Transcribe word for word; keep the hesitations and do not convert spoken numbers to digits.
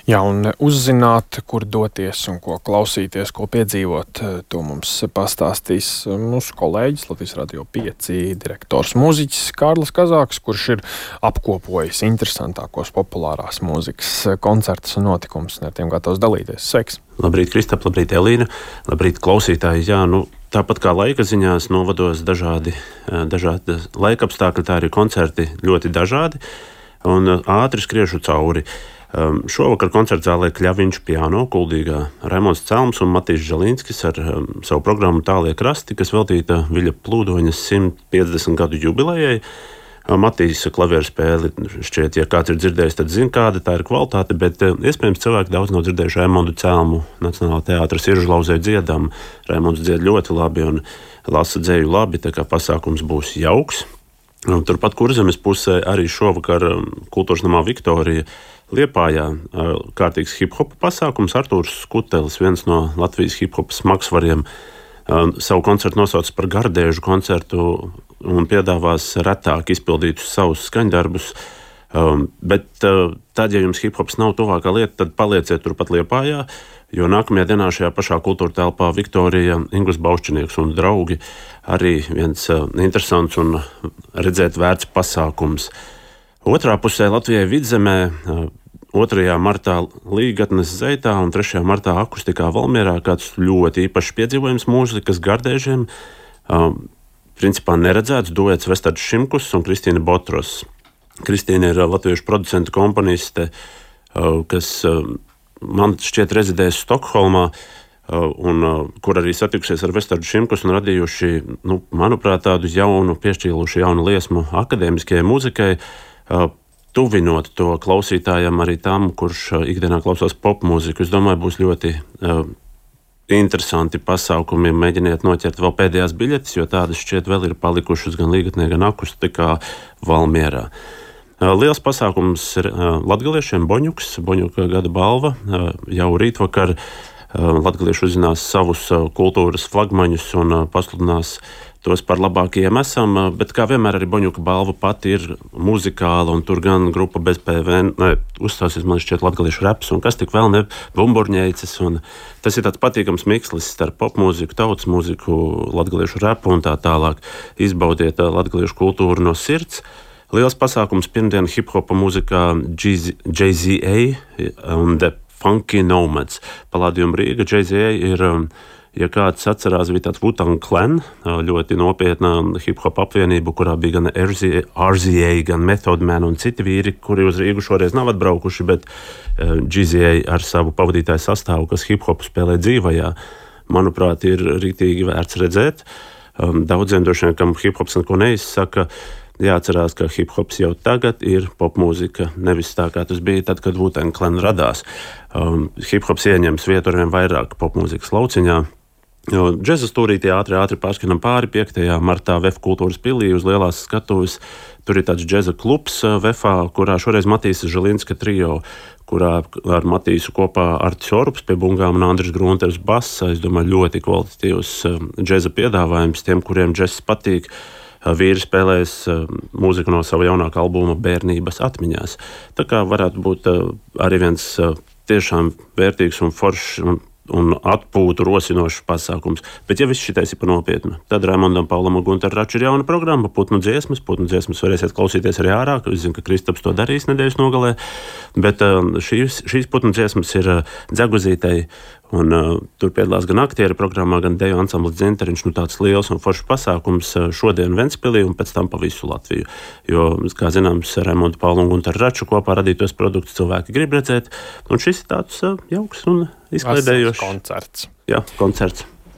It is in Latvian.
Jā, un uzzināt, kur doties un ko klausīties, ko piedzīvot, to mums pastāstīs mūsu kolēģis Latvijas Radio pieci direktors mūziķis Kārlis Kazāks, kurš ir apkopojis interesantākos populārās mūzikas koncertus un notikumus un ar tiem gatavs dalīties. Sveiks! Labrīt, Kristap, labrīt, Elīna, labrīt, klausītāji. Jā, nu, tāpat kā laika ziņās novados dažādi, dažādi laika apstākļi, tā arī koncerti ļoti dažādi un ātri skriešu cauri. Um, šovakar koncerta zālē Kļaviņš piano, Kuldīgā Raimonds Celms un Matīs Žalīnskis ar um, savu programmu Tālie krasti, kas veltīta Viļa Plūdoņas simt piecdesmit gadu jubilejai. Um, Matīs klavieru spēli šķiet, ja kāds ir dzirdējis, tad zina, kāda tā ir kvalitāte, bet uh, iespējams cilvēki daudz nav dzirdējuši Raimondu Celmu Nacionālā teātra Siržlauzē dziedam. Raimonds dzied ļoti labi un lasa dzēju labi, tā kā pasākums būs jauks. Um, turpat Kurzemes pusē arī šovakar um, Kultūras namā Viktorija Liepājā kārtīgs hip-hopa pasākums. Artūrs Skutelis, viens no Latvijas hip-hopa smagsvariem, savu koncertu nosauc par gardēžu koncertu un piedāvās retāk izpildītus savus skaņdarbus. Bet tad, ja jums hip-hops nav tuvākā lieta, tad palieciet turpat Liepājā, jo nākamajā dienā šajā pašā kultūra telpā Viktorija, Ingūns Baušķinieks un draugi arī viens interesants un redzēt vērts pasākums. Otrā pusē Latvijai Vidzemē, otrajā martā Līgatnes Zeitā un trešajā martā akustikā Valmierā kāds ļoti īpašs piedzīvojums mūzikas gardēžiem. Principā neredzēts duets Vestards Šimkus un Kristīna Botros. Kristīna ir latviešu producenta komponiste, kas man šķiet rezidēs Stokholmā, un kur arī satikusies ar Vestardu Šimkus un radījuši, nu, manuprāt, tādu jaunu, piešķīluši jaunu liesmu akadēmiskajai mūzikai, tuvinot to klausītājam arī tam, kurš ikdienā klausās popmūziku. Es domāju, būs ļoti uh, interesanti pasākumi. Mēģiniet noķert vēl pēdējās biļetes, jo tādas šķiet vēl ir palikušas gan Līgatnē, gan akustikā Valmierā. Uh, liels pasākums ir uh, latgaliešiem Boņuks, Boņuka gada balva. Uh, jau rītvakar uh, latgalieši uzzinās savus uh, kultūras flagmaņus un uh, pasludinās tos par labākajiem esam, bet kā vienmēr arī Boņuka balva pati ir muzikāla, un tur gan grupa bez P V N, ne, uzstāsies man šķiet latgaliešu reps, un kas tik vēl ne, bumburņeicis, un tas ir tāds patīkams mikslis starp popmūziku, tautas mūziku, latgaliešu repu un tā tālāk. Izbaudiet latgaliešu kultūru no sirds. Liels pasākums pirmdien hip-hopa mūzikā J Z A un The Funky Nomads. Palādījuma Rīga. J Z A ir... Ja kāds atcerās, bija tāds Wu-Tang Clan, ļoti nopietna hip-hop apvienība, kurā bija gan R Z A, gan Method Man un citi vīri, kuri uz Rīgu šoreiz nav atbraukuši, bet J Z A ar savu pavadītāju sastāvu, kas hip-hopu spēlē dzīvajā, manuprāt, ir rītīgi vērts redzēt. Daudziem droši vien, kam hip-hops neko neizsaka, jāatcerās, ka hip-hops jau tagad ir popmūzika, nevis tā, kā tas bija tad, kad Wu-Tang Clan radās. Hip-hops ieņems vietu arvien vairāk popmūzikas lauciņā. Džeza stūrītī ātri, ātri pārskanam pāri piektajā martā V E F kultūras pilī uz lielās skatuves. Tur ir tāds džeza klubs V E F-ā, kurā šoreiz Matīsa Žalīnska trio, kurā ar Matīsu kopā Artis Orups pie bungām un Andris Grunters basa. Es domāju, ļoti kvalitatīvs džeza piedāvājums tiem, kuriem džezs patīk. Vīri spēlēs mūziku no sava jaunākā albuma Bērnības atmiņās. Tā kā varētu būt arī viens tiešām vērtīgs un foršs un un atpūtu rosinošs pasākums. Bet, ja viss šitais ir pa nopietnu, tad Raimondam Paulam un Gunteram Raču ir jauna programma, putnu dziesmas. Putnu dziesmas varēsiet klausīties arī ārā, es zinu, ka Kristaps to darīs nedēļas nogalē, bet šīs, šīs putnu dziesmas ir Dzeguzītei, un uh, tur piedalās gan aktieri programmā, gan deju ansamblis Dzinteriņš, nu tāds liels un foršs pasākums šodien Ventspilī un pēc tam pa visu Latviju. Jo, kā zināms, Raimonda Paula un Gunteru Raču kopā radītos produktus cilvēki grib redzēt, un šis ir tāds uh, jauks un izklaidējošs koncerts. Jā, koncerts.